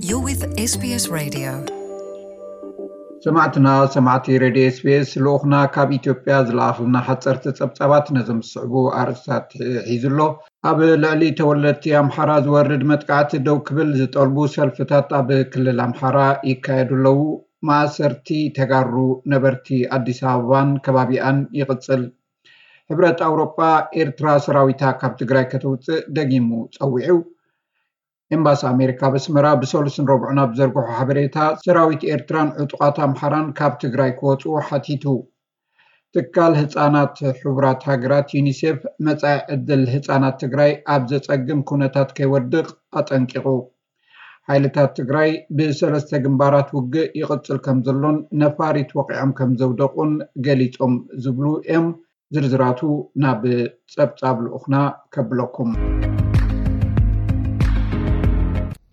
You're with S B S Radio. ሰማዕትና ሰማዕቲ ሬድዮ ኤስቢኤስ፣ ልኡኽና ካብ ኢትዮጵያ ዝለኣኽልና ሓፀርቲ ጸብጻባት ነዞም ዝስዕቡ ኣርእስታት ሒዙ ኣሎ። ኣብ ልዕሊ ተወለድቲ ኣምሓራ ዝወርድ መጥቃዕቲ ደው ክብል ዝጠልቡ ሰልፍታት ኣብ ክልል ኣምሓራ ይካየዱ ኣለዉ። ማእሰርቲ ተጋሩ ነበርቲ ኣዲስ ኣበባን ከባቢኣን ይቕጽል። ሕብረት ኣውሮጳ ኤርትራ ሰራዊታ ካብ ትግራይ ከተውፅእ ደጊሙ ጸዊዑ። ኤምባሲ ኣሜሪካ ኣብ ኣስመራ ብሰሉስን ረቡዕን ኣብ ዘርግሖ ሓበሬታ፣ ሰራዊት ኤርትራን ዕጡቓት ኣምሓራን ካብ ትግራይ ክወፅኡ ሓቲቱ። ትካል ህፃናት ሕቡራት ሃገራት ዩኒሴፍ፣ መፃኢ ዕድል ህፃናት ትግራይ ኣብ ዘፀግም ኩነታት ከይወድቕ ኣጠንቂቑ። ሓይልታት ትግራይ ብሰለስተ ግንባራት ውግእ ይቕፅል ከም ዘሎን ነፋሪት ወቒዖም ከም ዘውደቑን ገሊፆም ዝብሉ እዮም። ዝርዝራቱ ናብ ጸብጻብ ልኡኽና ከብለኩም።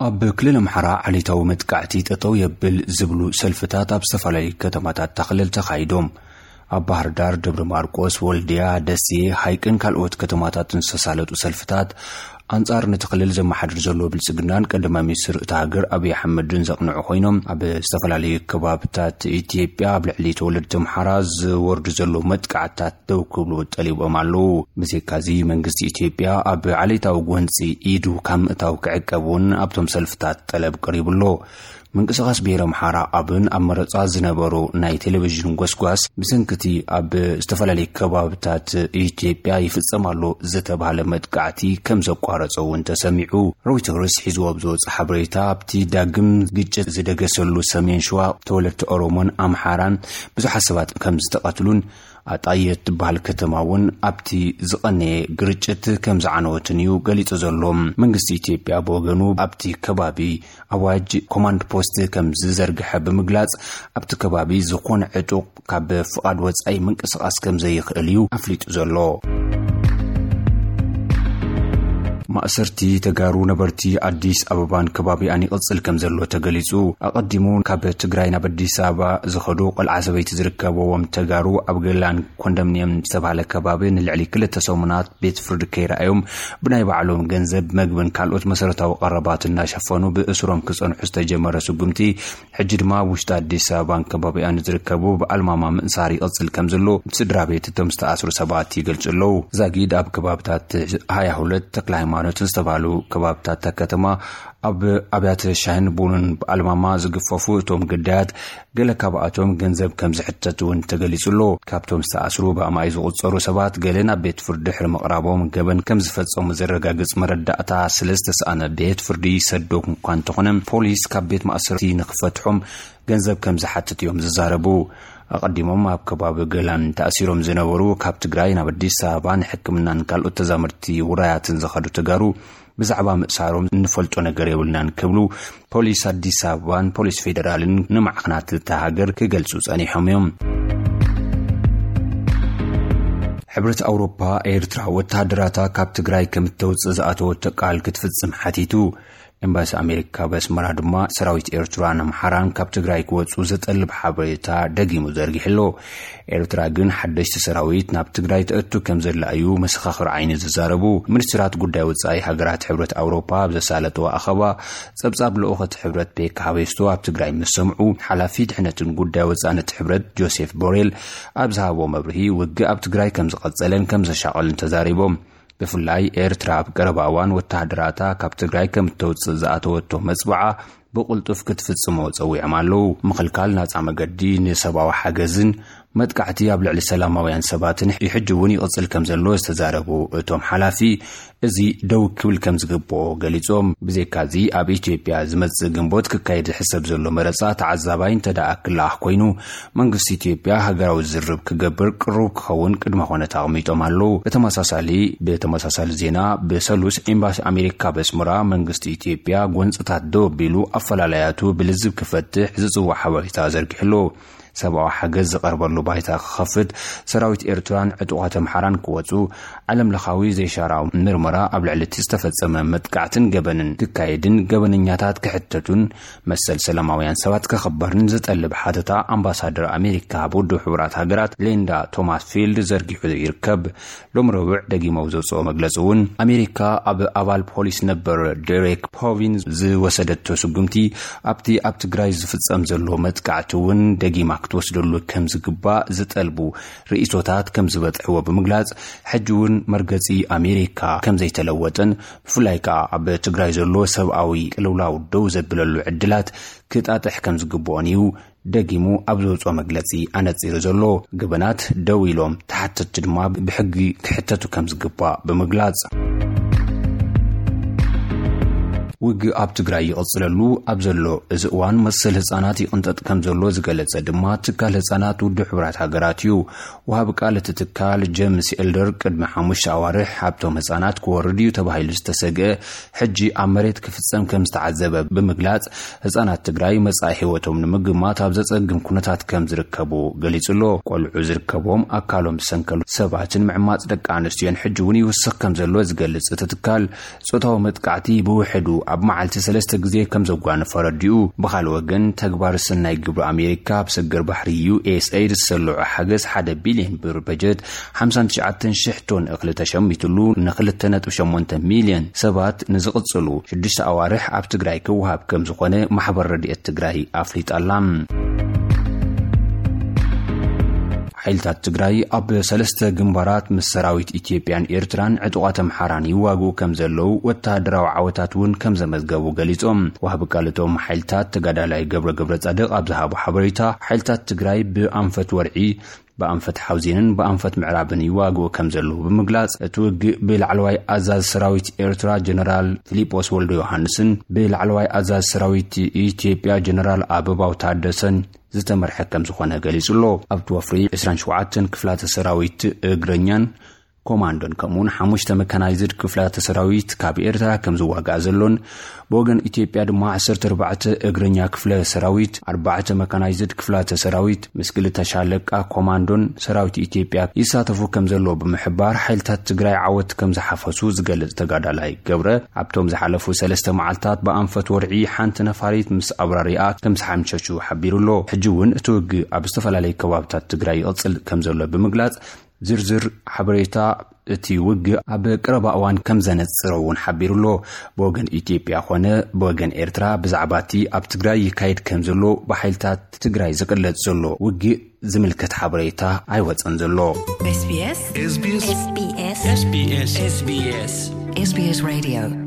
ኣብ ክልል ኣምሓራ ዓሌታዊ መጥቃዕቲ ጠጠው የብል ዝብሉ ሰልፍታት ኣብ ዝተፈላለዩ ከተማታት እታ ክልል ተኻይዶም። ኣብ ባህር ዳር፣ ደብረ ማርቆስ፣ ወልድያ፣ ደሴ፣ ሃይቅን ካልኦት ከተማታትን ዝተሳለጡ ሰልፍታት ኣንጻር ነቲ ክልል ዘመሓድር ዘሎ ብልጽግናን ቀዳማይ ሚኒስትር እታ ሃገር ኣብይ ኣሕመድን ዘቕንዑ ኮይኖም፣ ኣብ ዝተፈላለዩ ከባብታት ኢትዮጵያ ኣብ ልዕሊ ተወለድቲ ኣምሓራ ዝወርዱ ዘሎ መጥቃዕታት ደው ክብሉ ጠሊቦም ኣለዉ። ብዘይካዚ መንግስቲ ኢትዮጵያ ኣብ ዓሌታዊ ጎንጺ ኢዱ ካብ ምእታው ክዕቀብ እውን ኣብቶም ሰልፍታት ጠለብ ቀሪቡ ኣሎ። ምንቅስቓስ ብሄረ ኣምሓራ ኣብን ኣብ መረጻ ዝነበሩ ናይ ቴሌቪዥን ጎስጓስ ብሰንክቲ ኣብ ዝተፈላለዩ ከባብታት ኢትዮጵያ ይፍጸም ኣሎ ዝተባህለ መጥቃዕቲ ከም ዘቋረጸ እውን ተሰሚዑ። ሮይተርስ ሒዝዎ ኣብ ዝወጸ ሓበሬታ ኣብቲ ዳግም ግጭት ዝደገሰሉ ሰሜን ሸዋ ተወለድቲ ኦሮሞን ኣምሓራን ብዙሓት ሰባት ከም ዝተቐትሉን ኣጣየ እትበሃል ከተማ እውን ኣብቲ ዝቐነየ ግርጭት ከም ዝዓነወትን እዩ ገሊጹ ዘሎ። መንግስቲ ኢትዮጵያ ብወገኑ ኣብቲ ከባቢ ኣዋጅ ኮማንድ ፖስት ከም ዝዘርግሐ ብምግላጽ ኣብቲ ከባቢ ዝኾነ ዕጡቕ ካብ ፍቓድ ወጻኢ ምንቅስቓስ ከም ዘይኽእል እዩ ኣፍሊጡ ዘሎ። ማእሰርቲ ተጋሩ ነበርቲ ኣዲስ ኣበባን ከባቢኣን ይቕጽል ከም ዘሎ ተገሊጹ። ኣቐዲሙ ካብ ትግራይ ናብ ኣዲስ ኣበባ ዝኸዱ ቆልዓ ሰበይቲ ዝርከብዎም ተጋሩ ኣብ ገላን ኮንዶሚንየም ዝተባህለ ከባቢ ንልዕሊ ክልተ ሰሙናት ቤት ፍርዲ ከይረኣዮም ብናይ ባዕሎም ገንዘብ መግብን ካልኦት መሰረታዊ ቀረባት እናሸፈኑ ብእስሮም ክጸንሑ ዝተጀመረ ስጉምቲ ሕጂ ድማ ኣብ ውሽጢ ኣዲስ ኣበባን ከባቢኣን ዝርከቡ ብኣልማማ ምእሳር ይቕጽል ከም ዘሎ ስድራ ቤት እቶም ዝተኣስሩ ሰባት ይገልጹ ኣለዉ። ዛጊድ ኣብ ከባብታት ሃያ ሁለት ተክለ ሃይማኖትን ዝተባህሉ ከባብታት እታ ከተማ ኣብ ኣብያተ ሻሂን ቡንን ብኣልማማ ዝግፈፉ እቶም ግዳያት ገለ ካብኣቶም ገንዘብ ከም ዝሕተት እውን ተገሊጹ ኣሎ። ካብቶም ዝተኣስሩ ብኣማይ ዝቑጸሩ ሰባት ገለ ናብ ቤት ፍርዲ ድሕሪ ምቕራቦም ገበን ከም ዝፈጸሙ ዘረጋግጽ መረዳእታ ስለ ዝተሰኣነ ቤት ፍርዲ ይሰዶ እኳ እንተኾነ ፖሊስ ካብ ቤት ማእሰርቲ ንክፈትሖም ገንዘብ ከም ዝሓትት እዮም ዝዛረቡ። ኣቐዲሞም ኣብ ከባቢ ገላን ተኣሲሮም ዝነበሩ ካብ ትግራይ ናብ ኣዲስ ኣበባ ንሕክምናን ካልኦት ተዛመድቲ ውራያትን ዝኸዱ ተጋሩ ብዛዕባ ምእሳሮም እንፈልጦ ነገር የብልናን ክብሉ ፖሊስ ኣዲስ ኣበባን ፖሊስ ፌደራልን ንማዕኸናት እታ ሃገር ክገልጹ ጸኒሖም እዮም። ሕብረት ኣውሮፓ ኤርትራ ወተሃደራታ ካብ ትግራይ ከም እተውጽእ ዝኣተወቶ ቃል ክትፍጽም ሓቲቱ። ኤምባሲ ኣሜሪካ ኣብ ኣስመራ ድማ ሰራዊት ኤርትራን ኣምሓራን ካብ ትግራይ ክወጹ ዘጠልብ ሓበሬታ ደጊሙ ዘርጊሑ ኣሎ። ኤርትራ ግን ሓደሽቲ ሰራዊት ናብ ትግራይ ተእቱ ከም ዘላ እዩ መሰኻኽር ዓይኒ ዝዛረቡ። ሚኒስትራት ጉዳይ ወጻኢ ሃገራት ሕብረት ኣውሮፓ ኣብ ዘሳለጥዎ ኣኸባ ጸብጻብ ልኡኸት ሕብረት ቤካ ሃቤስቶ ኣብ ትግራይ ምስ ሰምዑ ሓላፊ ድሕነትን ጉዳይ ወጻኢ ነቲ ሕብረት ጆሴፍ ቦሬል ኣብ ዝሃቦ መብርሂ ውግእ ኣብ ትግራይ ከም ዝቐጸለን ከም ዘሻቐልን ተዛሪቦም። ብፍላይ ኤርትራ ኣብ ቀረባ እዋን ወተሃደራታ ካብ ትግራይ ከም እተውፅእ ዝኣተወቶ መፅብዓ ብቕልጡፍ ክትፍፅሞ ፀዊዖም ኣለዉ። ምኽልካል ናፃ መገዲ ንሰብኣዊ ሓገዝን መጥቃዕቲ ኣብ ልዕሊ ሰላማውያን ሰባትን ሕጂ እውን ይቕፅል ከም ዘሎ ዝተዛረቡ እቶም ሓላፊ፣ እዚ ደው ክብል ከም ዝግብኦ ገሊፆም። ብዘይካዚ ኣብ ኢትዮጵያ ዝመፅእ ግንቦት ክካየድ ዝሕሰብ ዘሎ መረፃ ተዓዛባይ እንተ ደኣ ክለኣኽ ኮይኑ መንግስቲ ኢትዮጵያ ሃገራዊ ዝርርብ ክገብር ቅሩብ ክኸውን ቅድመ ኩነት ኣቕሚጦም ኣለዉ። ብተመሳሳሊ ብተመሳሳሊ ዜና ብሰሉስ ኤምባሲ ኣሜሪካ በስመራ መንግስቲ ኢትዮጵያ ጎንፅታት ደው ኣቢሉ ኣፈላላያቱ ብልዝብ ክፈትሕ ዝፅውዕ ሓበሬታ ዘርጊሑ ኣሎ። ሰብኣዊ ሓገዝ ዝቐርበሉ ባይታ ክኸፍት፣ ሰራዊት ኤርትራን ዕጡቓት ኣምሓራን ክወጹ፣ ዓለም ለኻዊ ዘይሻራዊ ምርመራ ኣብ ልዕሊ እቲ ዝተፈጸመ መጥቃዕትን ገበንን ክካየድን ገበነኛታት ክሕተቱን መሰል ሰላማውያን ሰባት ክኽበርን ዝጠልብ ሓተታ ኣምባሳደር ኣሜሪካ ኣብ ውድብ ሕቡራት ሃገራት ሊንዳ ቶማስ ፊልድ ዘርጊሑ ይርከብ። ሎም ረቡዕ ደጊማ ኣብ ዘውፅኦ መግለፂ እውን፣ ኣሜሪካ ኣብ ኣባል ፖሊስ ነበር ዴሬክ ፖቪን ዝወሰደቶ ስጉምቲ ኣብቲ ኣብ ትግራይ ዝፍጸም ዘሎ መጥቃዕቲ እውን ደጊማ ክትወስደሉ ከም ዝግባእ ዝጠልቡ ርእይቶታት ከም ዝበጽሕዎ ብምግላጽ፣ ሕጂ እውን መርገጺ ኣሜሪካ ከም ዘይተለወጠን ብፍላይ ከኣ ኣብ ትግራይ ዘሎ ሰብኣዊ ቅልውላው ደው ዘብለሉ ዕድላት ክጣጥሕ ከም ዝግብኦን እዩ ደጊሙ ኣብ ዘውፅኦ መግለጺ ኣነጺሩ ዘሎ። ገበናት ደው ኢሎም፣ ተሓተትቲ ድማ ብሕጊ ክሕተቱ ከም ዝግባእ ብምግላጽ፣ ውግእ ኣብ ትግራይ ይቕጽለሉ ኣብ ዘሎ እዚ እዋን፣ መሰል ህጻናት ይቕንጠጥ ከም ዘሎ ዝገለጸ ድማ ትካል ህጻናት ውድብ ሕቡራት ሃገራት እዩ። ወሃቢ ቃል እቲ ትካል ጀምስ ኤልደር፣ ቅድሚ ሓሙሽተ ኣዋርሕ ኣብቶም ህጻናት ክወርድ እዩ ተባሂሉ ዝተሰግአ ሕጂ ኣብ መሬት ክፍጸም ከም ዝተዓዘበ ብምግላጽ፣ ህጻናት ትግራይ መጻኢ ህይወቶም ንምግማት ኣብ ዘጸግም ኩነታት ከም ዝርከቡ ገሊጹ ኣሎ። ቆልዑ ዝርከቦም ኣካሎም ዝሰንከሉ ሰባትን ምዕማጽ ደቂ ኣንስትዮን ሕጂ እውን ይውስኽ ከም ዘሎ ዝገልጽ እቲ ትካል፣ ጾታዊ መጥቃዕቲ ብውሕዱ ኣብ መዓልቲ ሰለስተ ግዜ ከም ዘጓነፈ ኣረዲኡ። ብኻልእ ወገን፣ ተግባር ሰናይ ግብሪ ኣሜሪካ ኣብ ሰገር ባሕሪ ዩ ኤስ ኤይድ ዝሰልዖ ሓገዝ ሓደ ቢልዮን ብር በጀት ሓምሳን ትሽዓተን ሽሕ ቶን እኽሊ ተሸሚትሉ፣ ንክልተ ነጥቢ ሸሞንተ ሚልዮን ሰባት ንዝቕጽሉ ሽዱሽተ ኣዋርሕ ኣብ ትግራይ ክወሃብ ከም ዝኾነ ማሕበር ረድኤት ትግራይ ኣፍሊጣ ኣላ። ሓይልታት ትግራይ ኣብ ሰለስተ ግንባራት ምስ ሰራዊት ኢትዮጵያን ኤርትራን ዕጡቓት ኣምሓራን ይዋግኡ ከም ዘለዉ፣ ወተሃደራዊ ዓወታት እውን ከም ዘመዝገቡ ገሊጾም። ወሃቢ ቃል እቶም ሓይልታት ተጋዳላይ ገብረ ገብረ ጻድቕ ኣብ ዝሃቦ ሓበሬታ፣ ሓይልታት ትግራይ ብኣንፈት ወርዒ፣ ብኣንፈት ሓውዜንን ብኣንፈት ምዕራብን ይዋግኡ ከም ዘለዉ ብምግላጽ፣ እቲ ውግእ ብላዕለዋይ ኣዛዚ ሰራዊት ኤርትራ ጀነራል ፊሊጶስ ወልደ ዮሃንስን ብላዕለዋይ ኣዛዚ ሰራዊት ኢትዮጵያ ጀነራል ኣበባው ታደሰን ዝተመርሐ ከም ዝኾነ ገሊጹ ኣሎ። ኣብቲ ወፍሪ ዕስራን ሸውዓተን ክፍላተ ሰራዊት እግረኛን ኮማንዶን ከምኡውን ሓሙሽተ መካናይዝድ ክፍላተ ሰራዊት ካብ ኤርትራ ከም ዝዋጋእ ዘሎን፣ ብወገን ኢትዮጵያ ድማ ዓሰርተ ኣርባዕተ እግረኛ ክፍለ ሰራዊት፣ ኣርባዕተ መካናይዝድ ክፍላተ ሰራዊት ምስ ክልተ ሻለቃ ኮማንዶን ሰራዊት ኢትዮጵያ ይሳተፉ ከም ዘለዎ ብምሕባር፣ ሓይልታት ትግራይ ዓወት ከም ዝሓፈሱ ዝገልጽ ተጋዳላይ ገብረ፣ ኣብቶም ዝሓለፉ ሰለስተ መዓልታት ብኣንፈት ወርዒ ሓንቲ ነፋሪት ምስ ኣብራሪኣ ከም ዝሓምሸሹ ሓቢሩ ኣሎ። ሕጂ እውን እቲ ውግእ ኣብ ዝተፈላለዩ ከባብታት ትግራይ ይቕጽል ከም ዘሎ ብምግላጽ፣ ዝርዝር ሓበሬታ እቲ ውግእ ኣብ ቀረባ እዋን ከም ዘነጽረ እውን ሓቢሩ ኣሎ። ብወገን ኢትዮጵያ ኾነ ብወገን ኤርትራ፣ ብዛዕባ እቲ ኣብ ትግራይ ይካየድ ከም ዘሎ ብሓይልታት ትግራይ ዝቅለጽ ዘሎ ውግእ ዝምልከት ሓበሬታ ኣይወጸን ዘሎ። SBS SBS SBS SBS SBS Radio